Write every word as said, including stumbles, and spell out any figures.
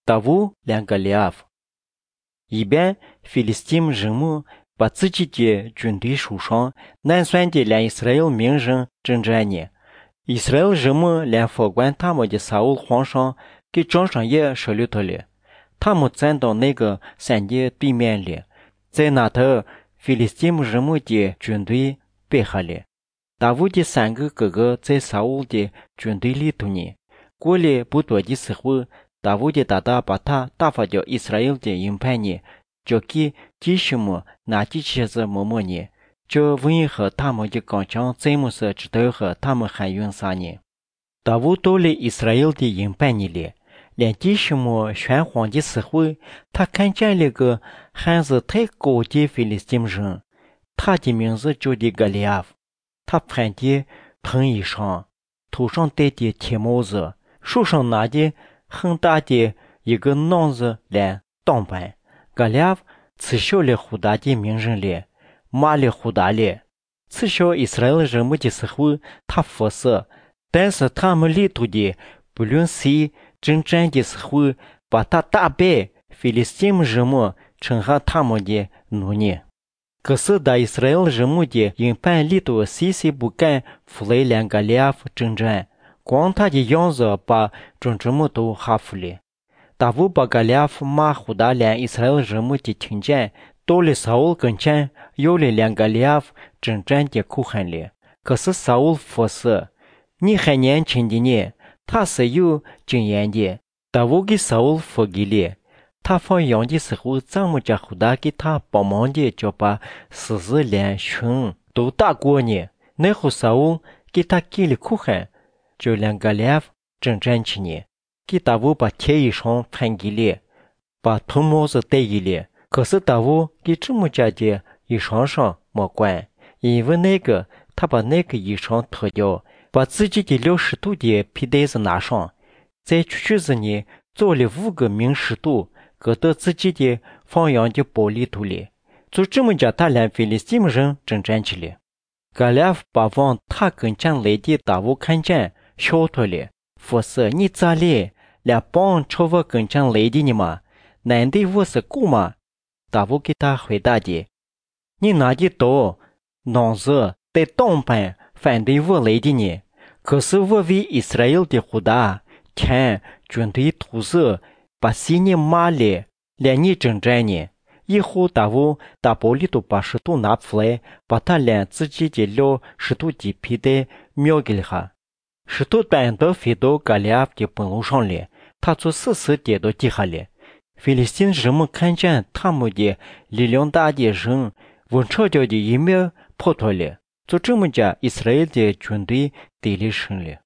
达乌两个利亚夫。一边菲利斯汀人们把自己的军队手上难算的连以色列名人征战呢，以色列人们连法官他们的沙乌皇上给张上也设立了了，他们站到那个山的对面了，在那头菲利斯汀人们的军队背下了。达乌的三个哥哥在沙乌的军队里头呢，过了不多的时候，达乌的大大把他打发掉以色列的营盘呢，交给弟兄们拿起鞋子摸摸呢，就问和他们的刚强在么时知道和他们还用啥呢？达乌到了以色列的营盘里了，连弟兄们宣慌的时候，他看见了个汉子太高的菲利斯汀人，他的名字叫的格利亚夫，他穿的蓬衣裳，头上戴的铁帽子，手上拿的很大的一个囊子来当板。格利亚夫耻笑了胡大的名人了，骂了胡大了，耻笑以色列人们的时候，他服侍，但是他们里头的不论谁征战的时候，把他打败，菲利斯汀人们称下他们的奴隶。可是当以色列人们的营盘里头谁谁不敢出来两个利亚夫征战，光他的样子把众人们都吓服了。达乌把格利亚夫骂胡大连以色列人们的听见，到了沙乌跟前，要了两个利亚夫征战的口喊了。可是沙乌说是，你还年轻的呢，他是有经验的。达乌给沙乌说给了。他放羊的时候，咱们家胡大给他帮忙的，就把狮子、连熊都打过呢。那后沙乌给他给了口喊，就两个利亚夫征战去呢。给达乌把铁衣裳穿给了，把铜帽子戴给了。可是达乌给这么家的衣裳上没管，因为那个他把那个衣裳脱掉，把自己的六十度的皮带子拿上，在靴子里做了五个名石头，搁到自己的放羊的包里头了。就这么着，他连菲利斯汀人征战去了。格利亚夫把往他跟前来的达乌看见，笑脱了，说是你咋了？连帮朝我跟前来的你吗？难道我是狗吗？达乌给他回答的，你拿的刀、囊子带当板反对我来的呢？可是我为以色列的胡大天军队屠杀，把谁你骂了，连你征战呢？以后达乌大包里头把石头拿出来，把他连自己的六石头的皮带瞄给了他。石头弹到飞到格利亚夫的本路上了，他就死死跌到地下了。菲利斯汀人们看见他们的力量大的人问吵叫的一秒跑脱了，就这么着以色列的军队得了胜了。